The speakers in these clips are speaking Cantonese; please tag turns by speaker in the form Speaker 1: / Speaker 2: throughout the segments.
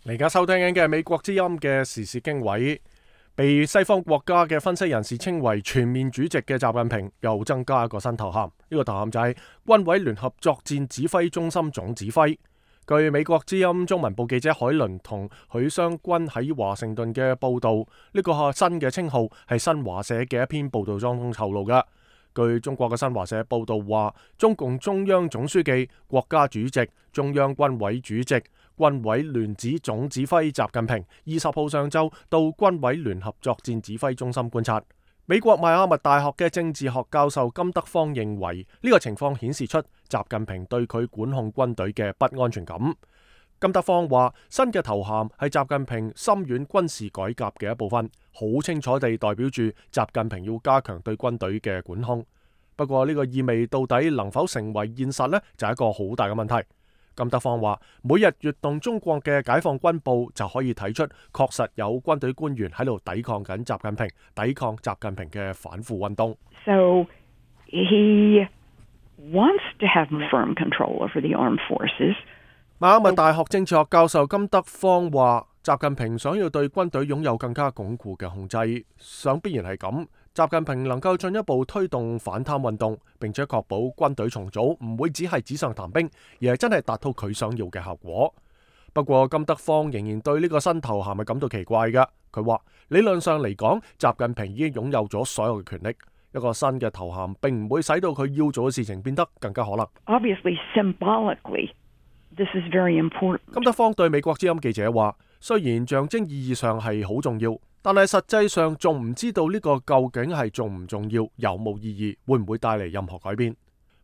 Speaker 1: 而家收聽緊嘅係美國之音嘅時事經緯，被西方國家嘅分析人士稱為全面主席嘅習近平又增加一個新頭銜，呢個頭銜就係軍委聯合作戰指揮中心總指揮。據美國之音中文部記者海倫同許湘君喺華盛頓嘅報道，呢個新嘅稱號係新華社嘅一篇報道中透露嘅。據中國嘅新華社報道話，中共中央總書記、國家主席、中央軍委主席、軍委聯指總指揮習近平20號上晝到軍委聯合作戰指揮中心觀察。美國邁阿密大學嘅政治學教授金德芳認為，呢個情況顯示出習近平對佢管控軍隊嘅不安全感。金德芳話，新嘅頭銜係習近平深遠軍事改革嘅一部分，好清楚地代表住習近平要加強對軍隊嘅管控。不過呢個意味到底能否成為現實呢？就係一個好大嘅問題。金德芳話，每日閱讀中國嘅解放軍報就可以睇出，確實有軍隊官員喺度抵抗緊習近平，抵抗習近平嘅反腐運動。
Speaker 2: So he wants to have firm control over the armed forces.
Speaker 1: 邁阿密大學政治學教授金德芳話，習近平想要對軍隊擁有更加鞏固嘅控制，想必然係咁。習近平能夠進一步推動反貪運動，並且確保軍隊重組唔會只係紙上談兵，而係真係達到佢想要嘅效果。不過金德芳仍然對呢個新頭銜係感到奇怪嘅。佢話理論上嚟講，習近平已經擁有咗所有嘅權力，一個新嘅頭銜並唔會使到佢要做嘅事情變得更加可能。
Speaker 2: Obviously, symbolically, this is very important.
Speaker 1: 金德芳對美國之音記者話，雖然象徵意義上係好重要，但係實際上仲唔知道呢個究竟係重唔重要，有冇意義，會唔會帶嚟任何改變。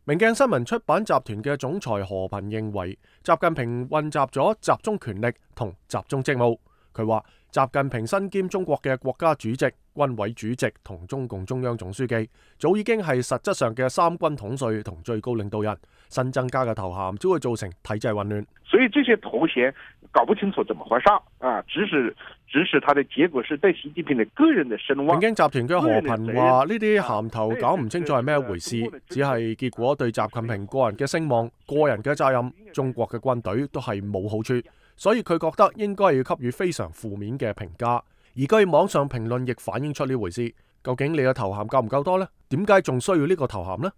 Speaker 1: 明鏡新聞出版集團嘅總裁何頻認為，習近平混雜咗集中權力同集中職務。佢話習近平身兼中國嘅國家主席、軍委主席同中共中央總書記，早已經係實質上嘅三軍統帥同最高領導人。新增加嘅頭銜只會造成體制混亂。
Speaker 3: 所以這些頭銜搞不清楚怎麼回事啊！只是他的結果是對習近平的個人的聲望。
Speaker 1: 明鏡集團嘅何頻話，呢啲銜頭搞唔清楚係咩回事，只係結果對習近平個人嘅聲望、個人嘅責任、中國嘅軍隊都係冇好處，所以佢覺得應該要給予非常負面嘅評價。而據網上評論亦反映出呢回事。究竟你嘅頭銜夠唔夠多呢？點解仲需要呢個頭銜呢？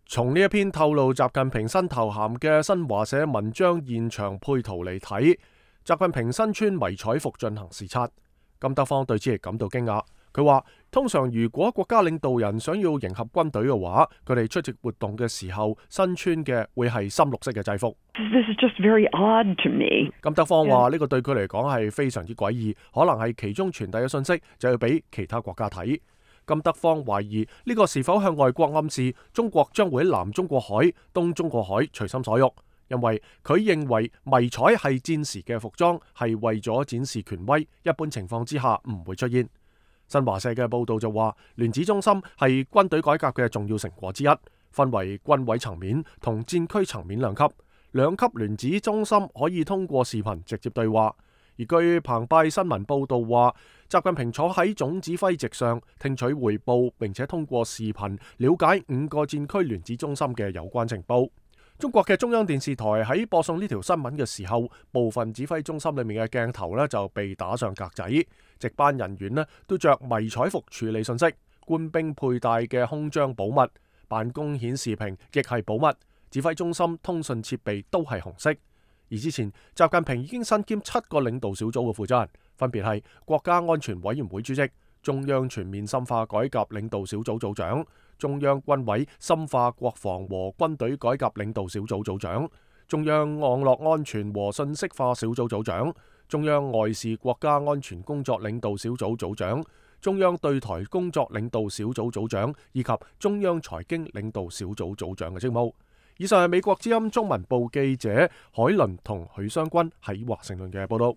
Speaker 1: 從呢一篇透露習近平新頭銜嘅新華社文章現場配圖嚟睇，習近平身穿迷彩服進行視察。金德芳對此亦感到驚訝。佢話，通常如果國家領導人想要迎合軍隊嘅話，佢哋出席活動嘅時候身穿嘅會係深綠色嘅制服。
Speaker 2: This is just very odd to me.
Speaker 1: 金德芳話呢個對佢嚟講係非常之詭異，可能係其中傳遞嘅信息就要俾其他國家睇。金德芳懷疑呢個是否向外國暗示中國將會喺南中國海、東中國海隨心所欲，因為佢認為迷彩係戰時嘅服裝，係為咗展示權威，一般情況之下唔會出現。新華社嘅報道就話，聯指中心係軍隊改革嘅重要成果之一，分為軍委層面同戰區層面兩級。兩級聯指中心可以通過視頻直接對話。而據澎湃新聞報道話，習近平坐喺總指揮席上聽取匯報，並且通過視頻了解5個戰區聯指中心嘅有關情報。中國嘅中央電視台喺播送呢條新聞嘅時候，部分指揮中心裏面嘅鏡頭呢就被打上格仔，值班人員呢都着迷彩服處理信息，官兵佩戴嘅胸章保密，辦公顯示屏亦係保密，指揮中心通訊設備都係紅色。而之前，習近平已經身兼7個領導小組嘅負責人，分別係國家安全委員會主席、中央全面深化改革領導小組組長、中央軍委深化國防和軍隊改革領導小組組長、中央網絡安全和信息化小組組長、中央外事國家安全工作領導小組組長、中央對台工作領導小組組長以及中央財經領導小組組長嘅職務。以上係美國之音中文部記者海倫同許湘君喺華盛頓嘅報道。